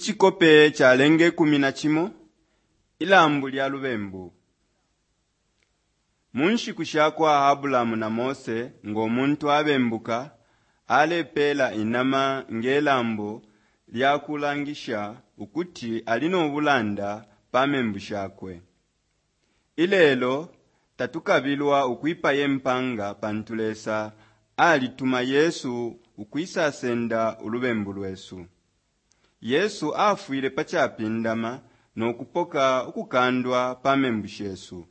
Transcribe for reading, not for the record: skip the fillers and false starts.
Icikope calenge 11 Ilambo lya lubembu. Mu nshiku sha kwa Abrahamu na Mose ngo muntu abembuka, alepela inama nge lambo lya kulangisha ukuti ali no bulanda pa membu shakwe. Ilelo, tatukabilwa ukwipaye mpanga pantu Lesa alituma Yesu ukwisasenda ulubembu lwesu. Yesu afwile pa Capindama no kupoka ukukandwa pa membu shesu.